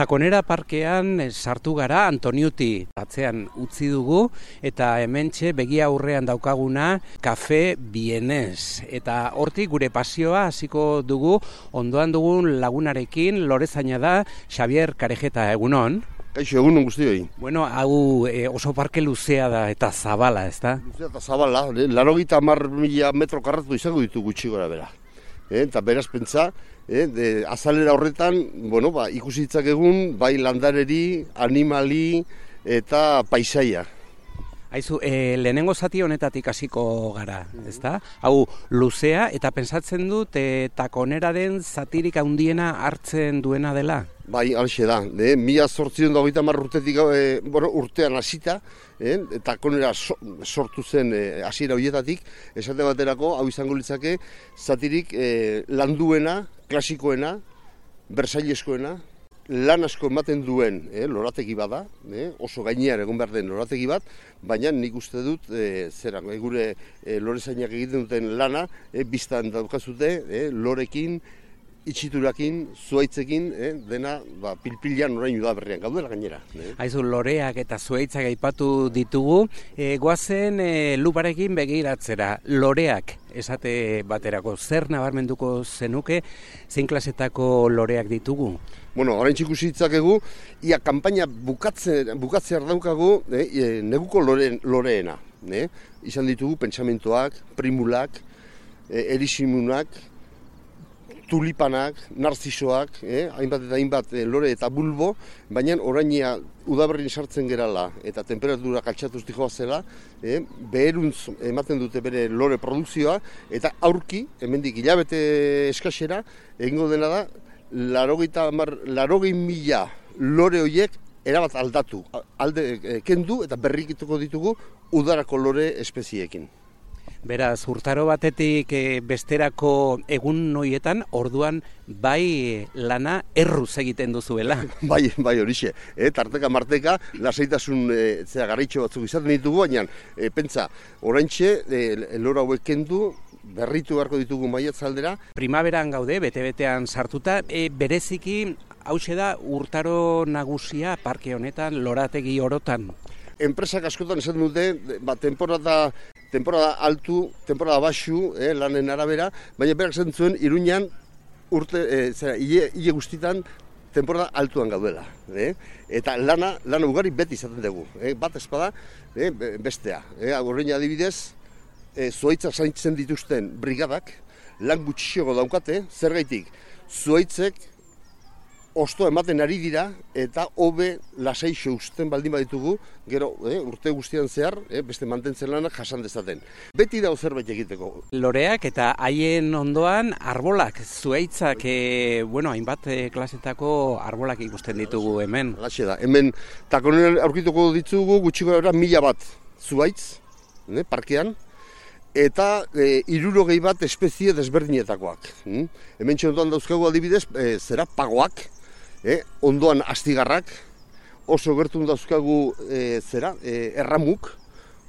Takonera parkean sartu gara Antoniuti atzean utzi dugu eta hementxe begi aurrean daukaguna Kafe Bienes. Eta hortik gure pasioa hasiko dugu ondoan dugun lagunarekin, lorezaina da Xabier Karejeta, egunon. Kaixo, egunon guztioi. Bueno, hau oso parke luzea da eta zabala, ezta? Luzea eta zabala, 80.000 metro karratu izango ditu gutxi gora bera. Eta beraz pentsa, azalera horretan, ikusi ditzakegun bai landareri, animali eta paisaia. Aizu, lehenengo zati honetatik hasiko gara, ezta? Hau luzea eta pentsatzen dut Takoneraren zatirik handiena hartzen duena dela? Bai, halaxe da. 1830 urtetik urtean hasita, Takonera sortu zen hasiera horietatik, esate baterako hau izango litzake zatirik landuena, klasikoena, bersailezkoena, lan asko ematen duen lorategi bada, oso gainean egon behar den lorategi bat, baina nik uste dut gure lorezainak egiten duten lana, biztan daukazute lorekin, itxiturakin, zuaitzekin, dena pilpilan orain udaberrian gaudela gainera. Aizu, loreak eta zuaitzak aipatu ditugu, goazen luparekin begiratzera, loreak esate baterako, zer nabarmenduko zenuke, zein klasetako loreak ditugu? Orain ikusi ditzakegu, ia kanpaina bukatzear daukagu neguko loreena. Izan ditugu pentsamentoak, primulak, erisimunak, tulipanak, narzisoak, hainbat eta hainbat lore eta bulbo, baina orainia udaberrin sartzen gerala eta temperatura kaltsatuz dijoa zela, beheruntz ematen dute bere lore produkzioa, eta aurki, hemendik hilabete eskasera, egingo dena da, 80.000 lore horiek erabat aldatu, kendu eta berrikituko ditugu udarako lore espezieekin. Beraz, urtaro batetik besterako egun noietan, orduan bai lana erruz egiten duzuela. Bai horixe. Tarteka marteka, lasaitasun garritxo batzuk izaten ditugu, baina pentsa, oraintxe lora hauek kendu, berritu beharko ditugu maiatzaldera. Primaveran gaude, bete-betean sartuta, bereziki hauxe da urtaro nagusia parke honetan, lorategi orotan. Enpresak askotan esaten dute, temporada altu, temporada baxu, lanen arabera, baina berak esaten zuen Iruñan hile guztitan temporada altuan gaudela. Eta lana ugari beti izaten dugu. Bat espada, bestea. Horrein adibidez, zuaitzak zaintzen dituzten brigadak, lan gutxiago daukate, zergaitik, zuaitzek osto ematen ari dira eta hobe lasaixo uzten baldin baditugu, gero urte guztian zehar, beste mantentzen lanak jasan dezaten. Beti dago zerbait egiteko. Loreak eta haien ondoan arbolak, zuaitzak, hainbat klasetako arbolak ikusten ditugu hemen. Halaxe da, hemen Takoneran aurkituko ditugu gutxiko gara 1000 bat zuaitz, parkean, eta 60 bat espezie desberdinetakoak. Hemen ondoan dauzkagu adibidez, pagoak, ondoan astigarrak, oso gertun dauzkagu erramuk,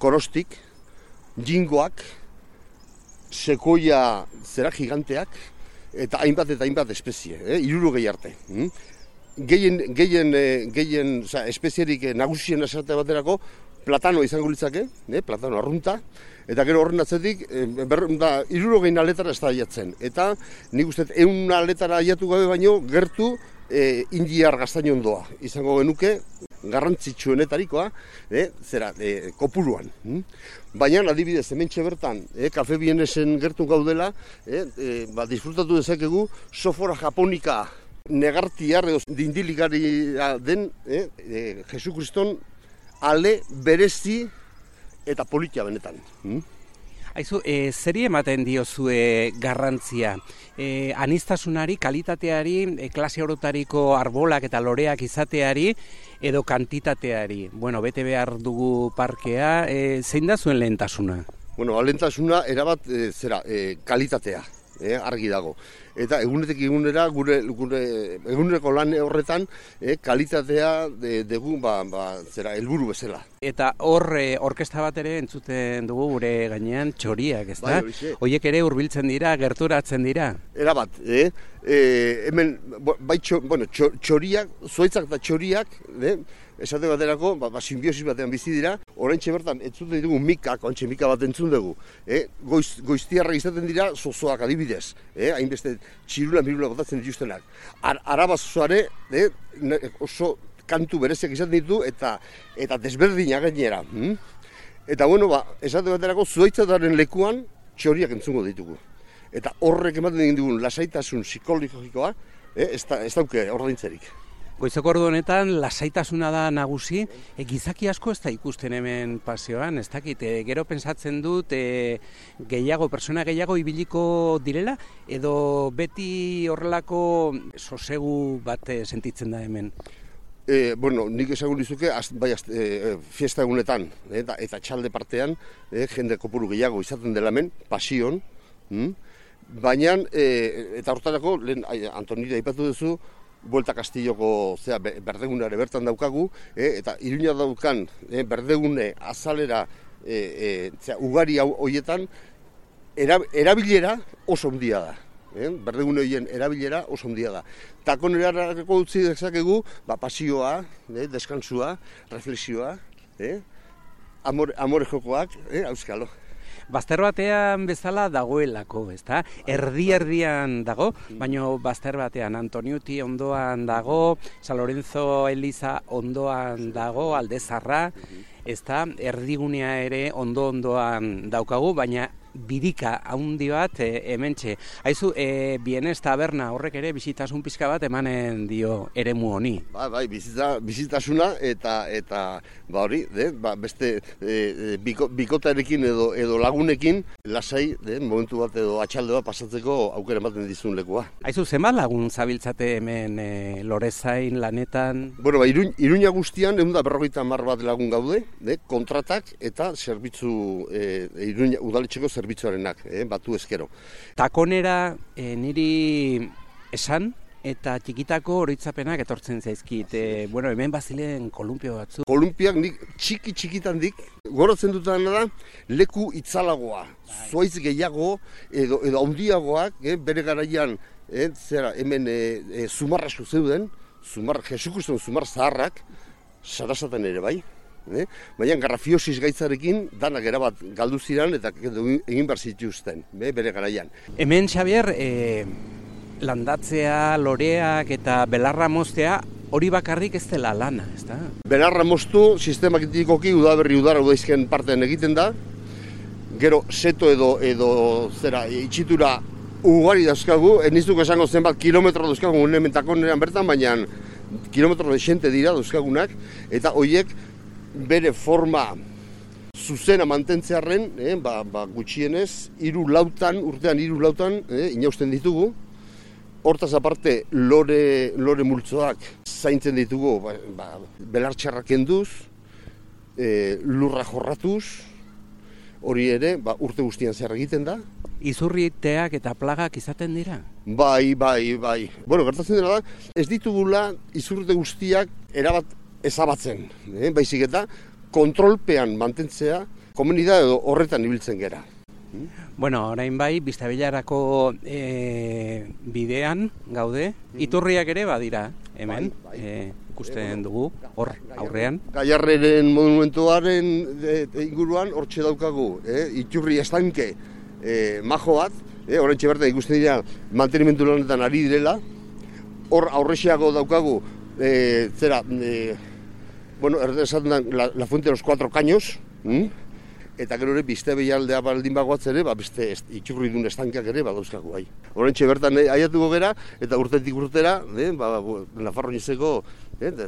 korostik, jingoak, sekoia giganteak, eta hainbat espezie, 60 arte. Gehien espezierik nagusien esate baterako, platano izango litzake, platano arrunta, eta gero horren atzetik, 60 aletara ez da aiatzen. Eta nik uste 100 aletara aiatu gabe baino, gertu indiar gaztainondoa izango genuke, garrantzitsuenetarikoa, kopuruan. Baina, adibidez, hementxe bertan, Kafe Bienesen gertu gaudela, disfrutatu dezakegu sofora japonika negartiar edo dindilikaria den Jesukriston ale berezi eta politia benetan. Aizu, zeri ematen diozue garrantzia? Aniztasunari, kalitateari, klase orotariko arbolak eta loreak izateari edo kantitateari? Bete behar dugu parkea, zein da zuen lehentasuna? Lehentasuna erabat kalitatea. argi dago. Eta egunetik egunera gure eguneroko lan horretan kalitatea dugu zera helburu bezala. Eta hor orkestra bat ere entzuten dugu gure gainean txoriak, ezta? Hoiek ere hurbiltzen dira, gerturatzen dira. Erabat, hemen txoriak, zuhaitzak eta txoriak, esate baterako, simbiosis batean bizi dira, oraintxe bertan entzuten ditugu mikak, oraintxe mika bat entzun dugu. Goiztiarra izaten dira zozoak adibidez, hainbeste txirula botatzen dituztenak. Araba zozoare oso kantu bereziak izaten ditu eta desberdinak gainera. Eta esate baterako zuhaitzataren lekuan txoriak entzungo ditugu. Eta horrek ematen egin dugun lasaitasun psikologikoa, ez dauke ordaintzerik. Goizeko ordu honetan lasaitasuna da nagusi, gizaki asko ez da ikusten hemen paseoan, ez dakit, gero pentsatzen dut persona gehiago ibiliko direla, edo beti horrelako sosegu bat sentitzen da hemen? Nik esango dizuke, fiesta egunetan, eta txalde partean, jende kopuru gehiago izaten dela hemen, pasion, baina, eta hortarako, lehen Antonira aipatu duzu, Buelta Kastilloko berdegunare bertan daukagu, eta Iruña daukan berdegune azalera ugari horietan erabilera oso handia da. Berdegune horien erabilera oso handia da. Takonerarako utzi dezakegu pasioa, deskansua, reflexioa, amore jokoak, auskalo. Bazter batean bezala dagoelako, ezta? Erdi-erdian dago, baina bazter batean Antoniuti ondoan dago, San Lorenzo Eliza ondoan dago, Aldezarra, ezta? Erdigunea ere ondoan daukagu, baina birika haundi bat hementxe. Haizu, Bienes taberna horrek ere bizitasun pixka bat emanen dio eremu honi. Bai, bizitasuna eta hori, beste bikotarekin edo lagunekin lasai, momentu bat edo atxalde bat pasatzeko aukera ematen dizun lekua. Haizu, zenbat lagun zabiltzate hemen Lorezain lanetan? Iruña guztian 150 bat lagun gaude, kontratak eta zerbitzu Iruña udaletxeko zerbitzuarenak, batu ezkero. Takonera niri esan eta txikitako oroitzapenak etortzen zaizkit. Hemen bazilen kolumpio batzu. Kolumpiak nik txikitan dik, goratzen dutena da, leku itzalagoa, zuaitz gehiago edo handiagoak, bere garaian, hemen zumarra zeuden, Jesukriston zumar zaharrak, Sarasaten ere bai. Baina garrafiosis gaitzarekin danak erabat galdu ziren eta egin behar zituzten, bere garaian. Hemen, Xabier, landatzea, loreak eta belarra moztea hori bakarrik ez dela lana, ezta? Belarra moztu sistematikoki udaberri udara udaizken partean egiten da, gero seto edo itxitura ugari dauzkagu, ez nizuko esango zenbat kilometro dauzkagu hemen Takoneran bertan, baina kilometro desente dira dauzkagunak, eta horiek bere forma zuzena mantentzearren, gutxienez, urtean 3 lautan inausten ditugu. Hortaz aparte, lore multzoak zaintzen ditugu, belartxarrak kenduz, lurra jorratuz, hori ere, urte guztian zehar egiten da. Izurriteak eta plagak izaten dira? Bai. Gertatzen dira da, ez ditugula izurrite guztiak erabat ezabatzen, baizik eta kontrolpean mantentzea komunidade edo horretan ibiltzen gera. Orain bai, Biztabelarako bidean gaude, iturriak ere badira hemen, ikusten dugu, hor aurrean. Gallarreren monumentuaren inguruan hortxe daukagu, iturri estanke majo bat, oraintxe bertan ikusten dira mantenimendu lanetan ari direla, hor aurrexeago daukagu esaten da la fuente de los 4 caños, eta gero ere Biztabealdea baldin bagoatz ere, beste itxurridun estankak ere badauzkagu bai. Oraintxe bertan aiatuko gera, eta urtetik urtera, Nafarroinezeko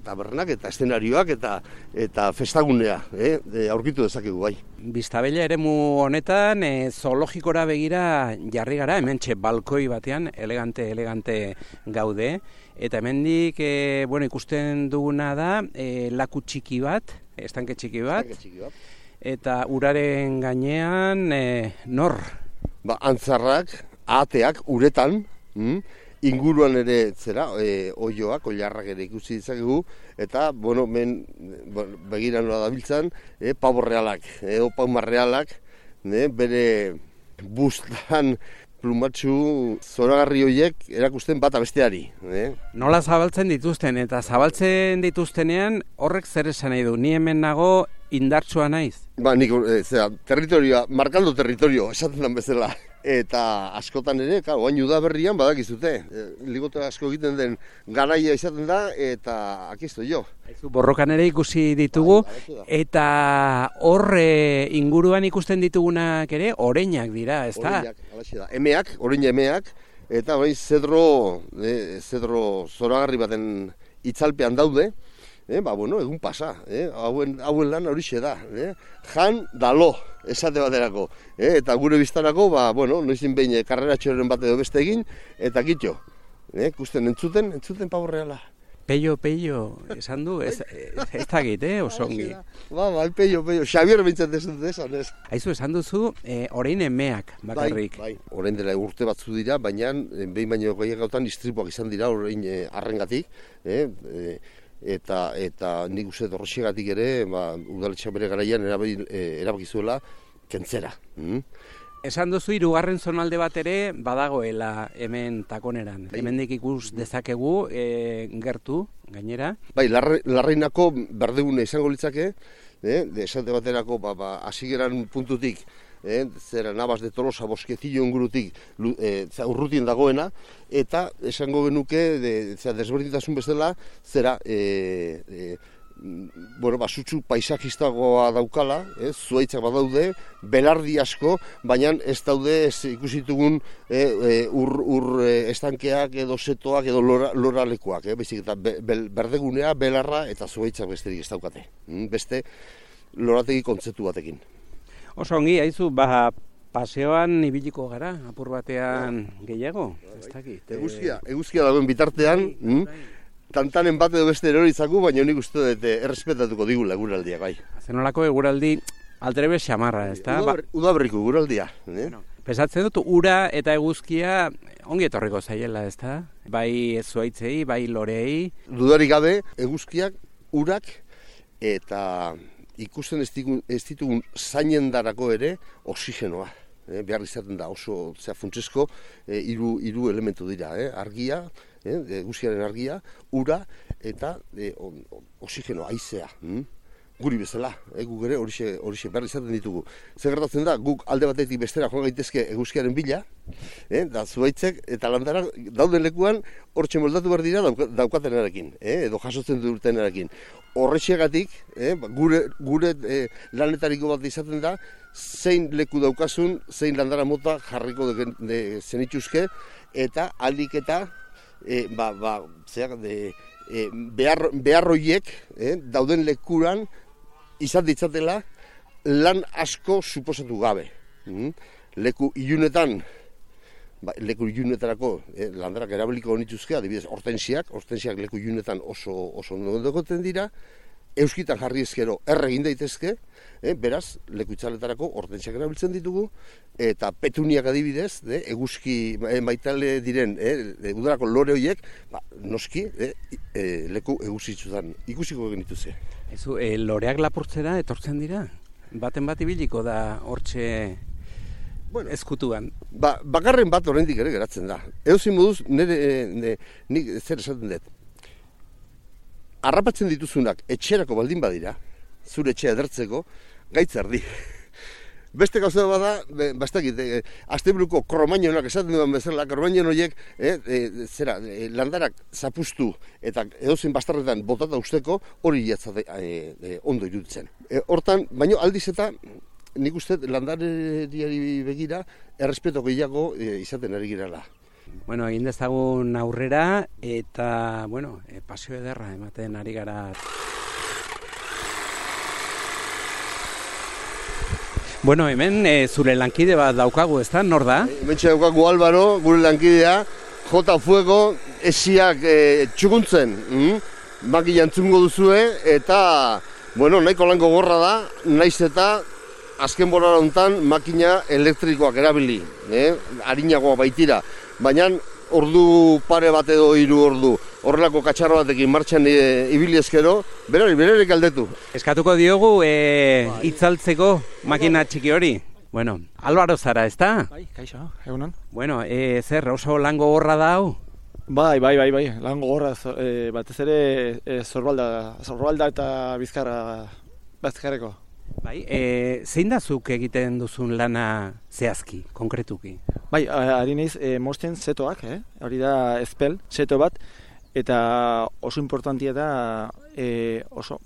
tabernak eta eszenarioak eta festagunea aurkitu dezakegu bai. Biztabella eremu honetan zoologikora begira jarri gara, hementxe balkoi batean, elegante gaude, eta hemendik ikusten duguna da laku txiki bat, estanke txiki bat, eta uraren gainean nor? Antzarrak, ahateak uretan, inguruan ere oioak, oilarrak ere ikusi ditzakegu, eta, begira nola dabiltzan, pavo realak, opama realak, bere bustan plumatxu zoragarri horiek erakusten bata besteari. Nola zabaltzen dituzten, eta zabaltzen dituztenean horrek zer esan nahi du, ni hemen nago indartsua naiz? Nik, territorioa, markando territorio, esaten den bezala. Eta askotan ere, oain udaberrian badakizute. Ligote asko egiten den garaia izaten da, eta akizu jo. Borrokan ere ikusi ditugu, eta horre inguruan ikusten ditugunak ere, oreinak dira, ez da? Oreinak, alaxe da. Emeak, oreina emeak, eta zedro zoragarri baten itzalpean daude, egun pasa, hauen lan horixe da. Jan dalo, esate baterako. Eta gure biztanako, noizin behin karreratxoren bat edo beste egin, eta kitxo. Ikusten entzuten pavo reala. Peio, esan du, ez dakit, osongi. Peio, Xabier bintzat esan ez. Haizu, esan duzu, orain emeak bakarrik. Bai, orain dela urte batzu dira, baina behin baino gehiagotan istripuak izan dira orain arrengatik, eta nik uste horrexegatik ere, udaletxeak bere garaian erabakizuela kentzera. Esan duzu, hirugarren zonalde bat ere badagoela hemen takoneran. Hemendik ikus dezakegu gertu, gainera. Bai, Larreinako berdegune izango litzake, esate baterako hasigeran puntutik, Navas de Tolosa Bosquecillo ingurutik urrutien dagoena, eta esango genuke desberdintasun bezala sutsu paisajistagoa daukala, zuaitzak badaude, belardi asko, baina ez daude ikusitugun ur estankeak edo setoak edo loralekuak, baizik eta berdegunea, belarra eta zuaitzak besterik ez daukate. Beste lorategi kontzeptu batekin. Oso ongi, haizu, paseoan ibiliko gara, apur batean gehiago, ez dakit. Eguzkia dagoen bitartean, tantanen bat edo beste eroritzaku, baina nik uste dut errespetatuko digula eguraldiak, bai. Zenolako eguraldi aldrebe xamarra, ez da? Udaberriko eguraldia. Pesatzen dut, ura eta eguzkia ongi etorriko zaiela, ez da? Bai zuaitzei, bai lorei. Dudarik gabe, eguzkiak, urak eta ikusten ez ditugun zainendarako ere oxigenoa. Behar izaten da oso funtsesko hiru elementu dira. Argia, eguzkiaren argia, ura eta oxigeno, haizea. Guri bezala, guk ere horixe behar izaten ditugu. Zer gertatzen da, guk alde batetik bestera joan gaitezke eguzkiaren bila, da zuaitzek eta landarak dauden lekuan hortxe moldatu behar dira daukatenarekin, edo jasotzen dutenarekin. Horrexegatik, gure lanetariko bat izaten da, zein leku daukasun, zein landara mota jarriko zenituzke, eta aldik eta beharroiek dauden lekuran izan ditzatela lan asko suposatu gabe. Leku ilunetarako landarak erabiliko nituzke, adibidez, hortensiak leku ilunetan oso nondokoten dira, euskitan jarri ezkero egin daitezke, beraz, leku itzaletarako hortensiak erabiltzen ditugu, eta petuniak adibidez, eguzki maitale diren udarako lore horiek, noski, leku eguzitzutan ikusiko genituzke. Loreak lapurtzera etortzen dira? Baten bat ibiliko da hortxe ezkutuan? Bakarren bat oraindik ere geratzen da. Edozein moduz, nik zer esaten dut. Harrapatzen dituzunak etxerako baldin badira, zure etxea edertzeko, gaitz erdi. Beste gauza bada, asteburuko kromainonak esaten duan bezala, kromaino horiek landarak zapustu eta edozein bastarretan botata usteko hori jatzate ondo iruditzen. Hortan, baino aldiz eta nik uste landareriari begira errespeto gehiago izaten ari girela. Egin dezagun aurrera eta, pasio ederra ematen ari gara. Hemen zure lankide bat daukagu, ez da? Nor da? Hementxe daukagu Álvaro, gure lankidea, jota fuego, esiak txukuntzen. Maki jantzungo duzue, eta, nahiko lango gorra da, naiz eta azken bolada honetan makina elektrikoak erabili, arinagoa baitira, baina ordu pare bat edo 3 ordu horrelako katxarro batekin martxan ibili ezkero, berarek aldetu. Eskatuko diogu itzaltzeko makina txiki hori. Bueno, Álvaro zara, ezta? Bai, kaixo, egunon. Bueno, zer, oso lan gogorra da hau? Bai, lan gogorra, batez ere zorbalda eta bizkarreko. Bai, zein da zuk egiten duzun lana zehazki, konkretuki? Bai, ari naiz mosten zetoak, hori da ezpel, zeto bat, eta oso importantia da oso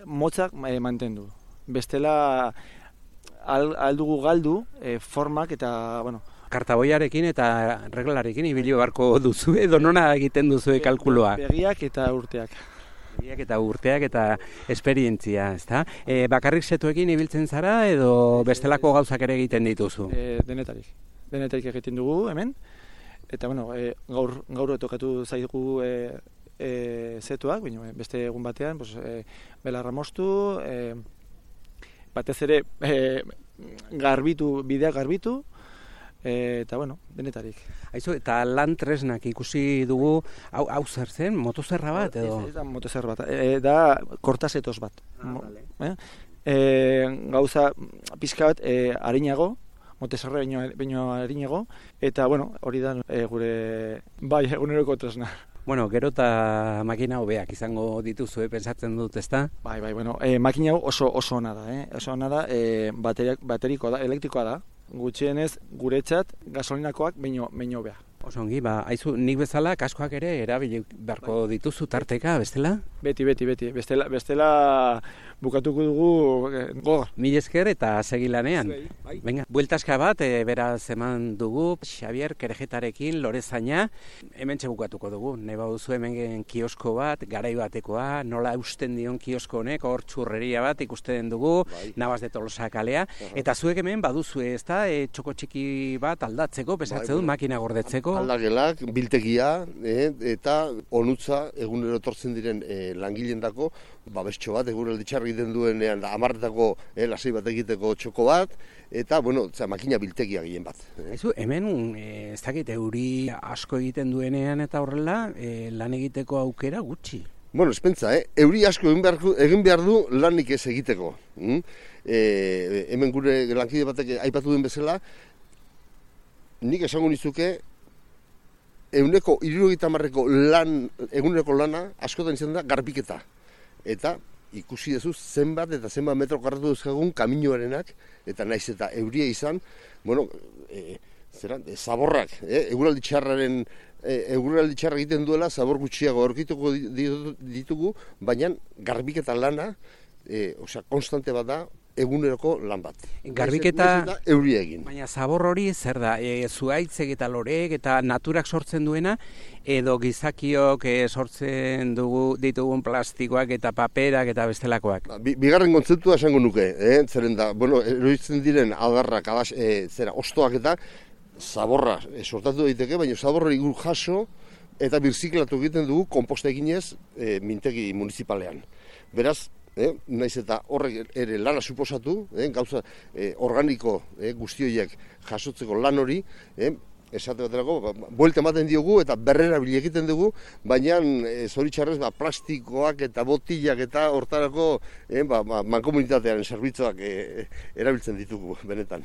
motzak mantendu. Bestela aldugu galdu formak eta, bueno, Kartaboiarekin eta reglalarekin ibili beharko duzu edo nona egiten duzu kalkuloa? Begiak eta urteak. Begiak eta urteak eta esperientzia, ezta? Bakarrik zetuekin ibiltzen zara edo bestelako gauzak ere egiten dituzu? Denetarik egiten dugu hemen. Eta bueno, gaur tokatu zaigu zetuak, beste egun batean, belarra moztu, batez ere bideak garbitu, eta bueno, denetarik. Aizu, eta lan tresnak ikusi dugu, hau zer zen, motozerra bat edo? Ez da motozerra bat, da kortasetoz bat. Gauza pixka bat harinago, motozerra baino harinago, eta bueno, hori da gure eguneroko tresna. Bueno, gero eta makina hobeak izango dituzu, pensatzen dut, ezta? Bai, makina hau oso ona da, oso ona da, baterikoa da, elektrikoa da, gutxienez guretzat gasolinakoak baino hobea. Oso ongi, aizu, nik bezala kaskoak ere erabili beharko dituzu tarteka, bestela? Beti. Bestela bukatuko dugu gogor. Mil esker eta segi lanean. Bai. Venga, bueltaska bat, beraz eman dugu, Xabier Kerejetarekin, Lorezaina, hementxe bukatuko dugu. Neba duzu hemen kiosko bat, garai batekoa, nola eusten dion kiosko honek, hor txurreria bat ikusten dugu, Navas de Tolosa kalea, eta zuek hemen baduzu ezta, txoko txiki bat aldatzeko, pesatzen dut, makina gordetzeko. Aldagelak, biltegia, eta onutza egunero etortzen diren langileendako babestxo bat, egunero ditxarri egiten duenean, 10etako lasei bat egiteko txoko bat, eta, bueno, makina biltegia gehien bat. Hemen, ez dakit, euri asko egiten duenean eta horrela, lan egiteko aukera gutxi. Bueno, espentza, euri asko egin behar du lanik ez egiteko. Hemen gure lankide batek aipatu duen bezala, nik esango nizuke, 170ko eguneroko lana askotan izan da garbiketa. Eta ikusi duzu zenbat metro karratu duzkagun kaminoarenak, eta naiz eta euria izan, bueno, zaborrak, eguraldi txarra egiten duela, zabor gutxiago aurkituko ditugu, baina garbiketa lana, konstante bat da, eguneroko lan bat. Garbiketa euria egin. Baina zabor hori zer da, zuhaitzek eta loreek eta naturak sortzen duena, edo gizakiok sortzen ditugun plastikoak eta paperak eta bestelakoak? Bigarren kontzeptua esango nuke, zeren da, bueno, eroitzen diren adarrak, ostoak eta zaborra sortatu daiteke, baina zaborra igur jaso eta birziklatu egiten dugu konposta eginez mintegi municipalean. Beraz, naiz eta horrek ere lana suposatu, gauza organiko guztioiek jasotzeko lan hori, esate baterako, buelta ematen diogu eta berrera egiten dugu, baina zoritxarrez plastikoak eta botillak eta hortarako mankomunitatearen zerbitzuak erabiltzen ditugu, benetan.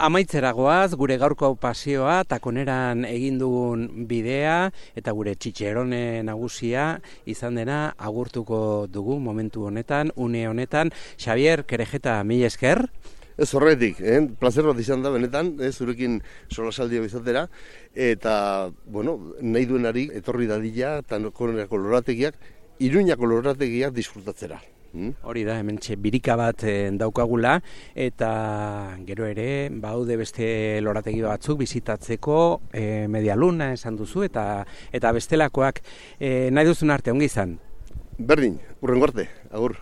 Amaitzera goaz, gure gaurko pasioa, takoneran egin dugun bidea eta gure txitxerone nagusia izan dena agurtuko dugu momentu honetan, une honetan. Xabier Kerejeta, mila esker. Ez horretik, plazer bat izan da benetan, zurekin solasaldia izatera, eta, bueno, nahi duenari etorri dadila, takonerako lorategiak, Iruñako lorategiak disfrutatzera. Hori da, hementxe birika bat daukagula, eta gero ere, baude beste lorategi batzuk bizitatzeko, Medialuna esan duzu, eta bestelakoak nahi duzun arte, ongi izan? Berdin, hurrengo arte, agur.